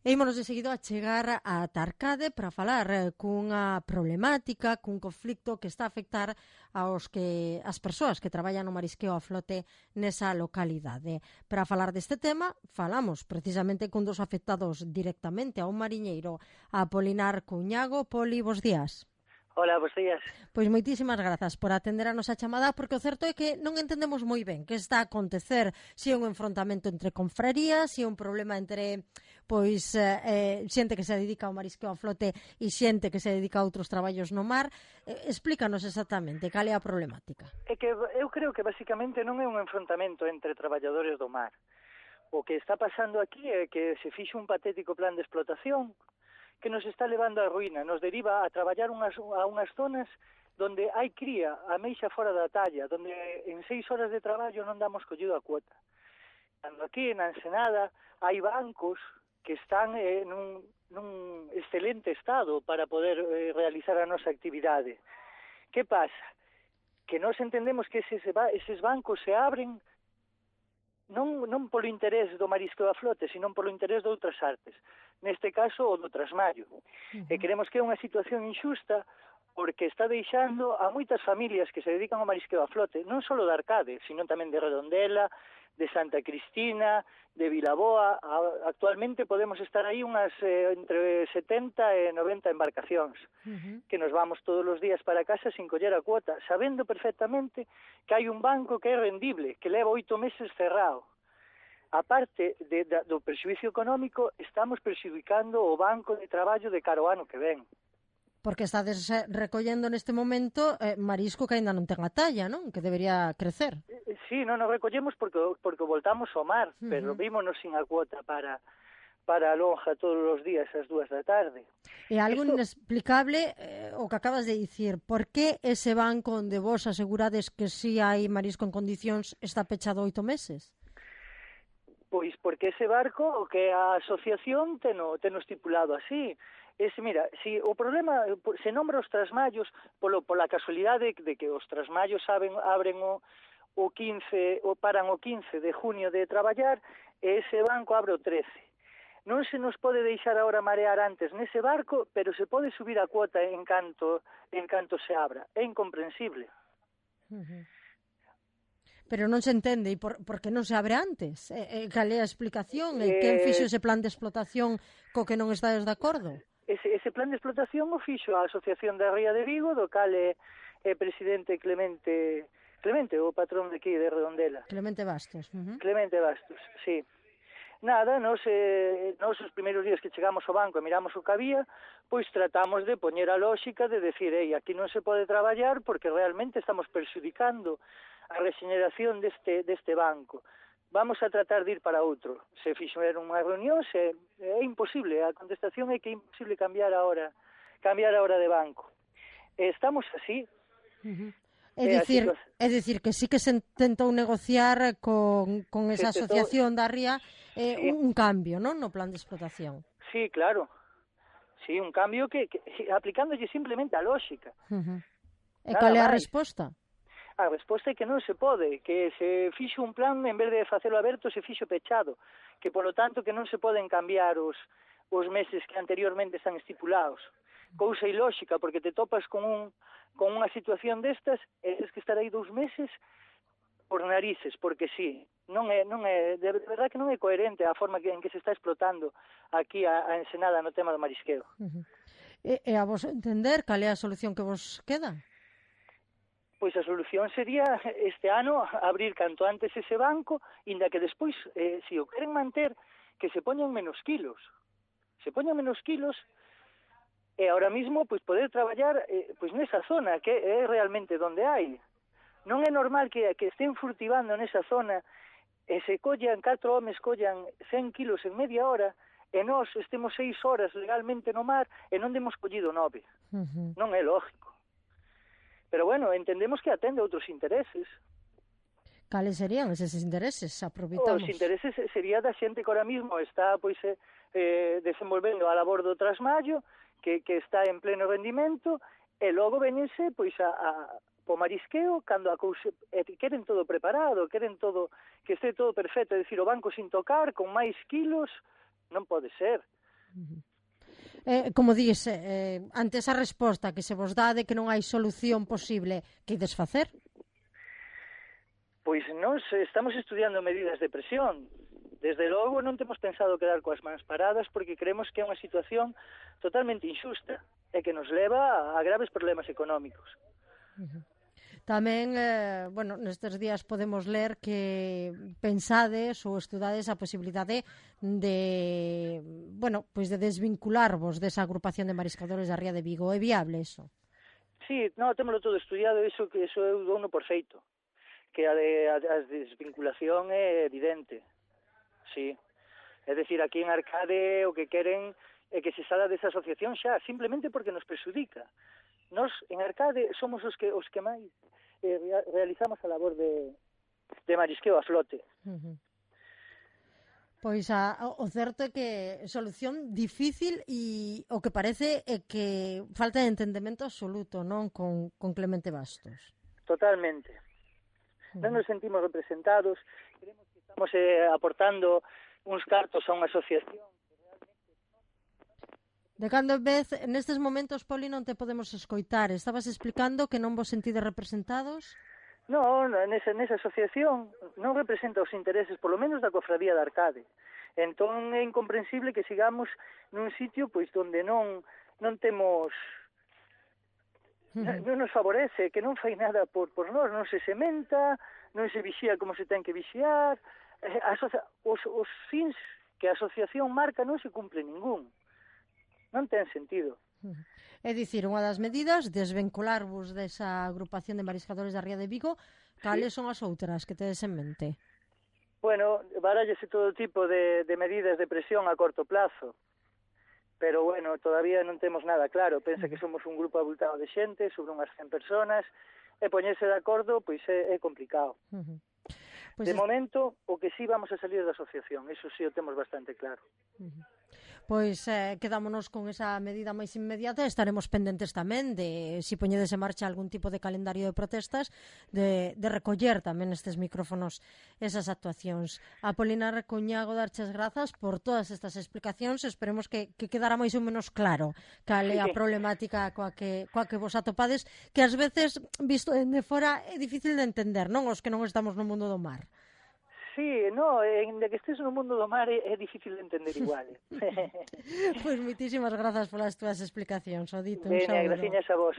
Ímonos de seguido a chegar a Tarcade para falar cunha problemática, cun conflicto que está a afectar as persoas que traballan no marisqueo a flote nesa localidade. Para falar deste tema, falamos precisamente cun dos afectados directamente, a un mariñeiro, a Apolinar Cuñago. Poli, bos días. Hola, bos días. Pois moitísimas grazas por atender a nosa chamada, porque o certo é que non entendemos moi ben que está a acontecer, se é un enfrontamento entre confrarías, se é un problema entre xente que se dedica ao marisqueo a flote e xente que se dedica a outros traballos no mar. Explícanos exactamente cal é a problemática. É que eu creo que basicamente non é un enfrontamento entre traballadores do mar. O que está pasando aquí é que se fixo un patético plan de explotación que nos está levando á ruína, nos deriva a traballar a unhas zonas donde hai cría, a meixa fora da talla, donde en 6 horas de traballo non damos collido a cuota. Cando aquí, na Ensenada, hai bancos que están nun excelente estado para poder realizar a nosa actividade. Que pasa? Que nós entendemos que eses bancos se abren non polo interés do marisqueo a flote, sino polo interés de outras artes, neste caso o do trasmallo. E creemos que é unha situación injusta porque está deixando a moitas familias que se dedican ao marisqueo a flote, non só de Arcade, sino tamén de Redondela, de Santa Cristina, de Vilaboa. Actualmente podemos estar aí unhas entre 70 e 90 embarcacións, que nos vamos todos os días para casa sin coller a cuota, sabendo perfectamente que hai un banco que é rendible, que leva 8 meses cerrado. A parte do perxuízo económico, estamos perxudicando o banco de traballo de cara ao ano que ven. Porque estades recollendo neste momento marisco que aínda non ten a talla, non? Que debería crecer. Sí, non nos recollemos porque voltamos ao mar, pero vímonos sin a cuota para a lonja todos os días ás 2 da tarde. É algo inexplicable o que acabas de dicir. Por que ese banco onde vos asegurades que si hai marisco en condicións está pechado 8 meses? Pois porque ese barco, o que a asociación teno estipulado así. Mira, si o problema se nombra os trasmallos pola casualidade de que os trasmallos abren o 15, ou paran o 15 de junio de traballar, e ese banco abre o 13. Non se nos pode deixar agora marear antes nese barco, pero se pode subir a cuota en canto se abra. É incomprensible. Pero non se entende, e por que non se abre antes? Cal é a explicación? Quen fixo ese plan de explotación co que non estades de acordo? Ese plan de explotación o fixo a Asociación da Ría de Vigo, do cal é presidente Clemente, o patrón de aquí de Redondela. Clemente Bastos. Clemente Bastos, sí. Nada, nos os primeiros días que chegamos ao banco e miramos o que había, pois tratamos de poñer a lógica de decir, aquí non se pode traballar porque realmente estamos perxudicando a rexeneración deste banco. Vamos a tratar de ir para outro. Se fixeron unha reunión, é imposible, a contestación é que é imposible cambiar a hora de banco. Estamos así. É dicir que sí que se tentou negociar con esa asociación da Ría un cambio, non, no plan de explotación. Sí, claro. Sí, un cambio que aplicándolle simplemente a lógica. E cal é a resposta? A resposta é que non se pode, que se fixo un plan, en vez de facelo aberto, se fixo pechado, que polo tanto que non se poden cambiar os meses que anteriormente están estipulados. Cousa ilóxica, porque te topas con unha situación destas e tens que estar aí 2 meses por narices, porque sí, de verdade que non é coherente a forma en que se está explotando aquí a Ensenada no tema do marisqueo. E a vos entender, cal é a solución que vos queda? Pois a solución sería este ano abrir canto antes ese banco, inda que despois, se o queren manter, que se poñan menos kilos. Se poñan menos kilos e ahora mismo pois poder traballar pois nesa zona que é realmente onde hai. Non é normal que estén furtivando nesa zona e se collan 4 homes collan 100 kilos en media hora e nós estemos 6 horas legalmente no mar e non demos collido 9. Non é lógico. Pero bueno, entendemos que atende outros intereses. Cales serían eses intereses? Aproveitamos. Os intereses sería da xente que ahora mismo está desenvolvendo a labor do trasmallo, que está en pleno rendimento, e logo venense po marisqueo cando a cousa queren todo preparado, queren que este todo perfecto, é dicir, o banco sin tocar, con máis kilos, non pode ser. Como dis, ante esa resposta que se vos dá de que non hai solución posible, que ides facer? Pois nós estamos estudiando medidas de presión. Desde logo non temos pensado quedar coas mans paradas porque creemos que é unha situación totalmente injusta e que nos leva a graves problemas económicos. Tamén, nestes días podemos ler que pensades ou estudades a posibilidade de, de desvincularvos desa agrupación de mariscadores da Ría de Vigo. É viable eso? Sí, témolo todo estudiado, eso eu douno por feito, que a desvinculación é evidente, sí. É dicir, aquí en Arcade o que queren é que se sala desa asociación xa, simplemente porque nos perxudica. Nos, en Arcade, somos os que máis realizamos a labor de marisqueo a flote. Pois o certo é que solución difícil e o que parece é que falta de entendemento absoluto, non, con Clemente Bastos. Totalmente. Non nos sentimos representados, creemos que estamos aportando uns cartos a unha asociación. De cando en vez, nestes momentos, Poli, non te podemos escoitar. Estabas explicando que non vos sentides representados? Non, nesa asociación non representa os intereses, polo menos da cofradía de Arcade. Entón é incomprensible que sigamos nun sitio pois onde non temos... Non nos favorece, que non fai nada por nós, non se sementa, non se vixía como se ten que vixiar, os fins que a asociación marca non se cumpre ningún. Non ten sentido. É dicir, unha das medidas, desvincularvos desa agrupación de mariscadores da Ría de Vigo. Cales son as outras que tedes en mente? Bueno, barállese todo tipo de medidas de presión a corto plazo. Pero, todavía non temos nada claro. Pensa que somos un grupo abultado de xente, sobre unhas 100 personas, e poñerse de acordo, pois é complicado. De momento, o que sí vamos a salir da asociación, eso sí o temos bastante claro. Pois quedámonos con esa medida máis inmediata e estaremos pendentes tamén de si poñedes en marcha algún tipo de calendario de protestas, de recoller tamén estes micrófonos esas actuacións. Apolinar Cuñago, darches grazas por todas estas explicacións. Esperemos que quedara máis ou menos claro cal é a problemática coa que vos atopades, que ás veces, visto dende fora, é difícil de entender, non? Os que non estamos no mundo do mar. Sí, de que estés no mundo do mar é difícil de entender igual. Pois moitísimas grazas polas túas explicacións, o dito. Veña, graciñas a vos.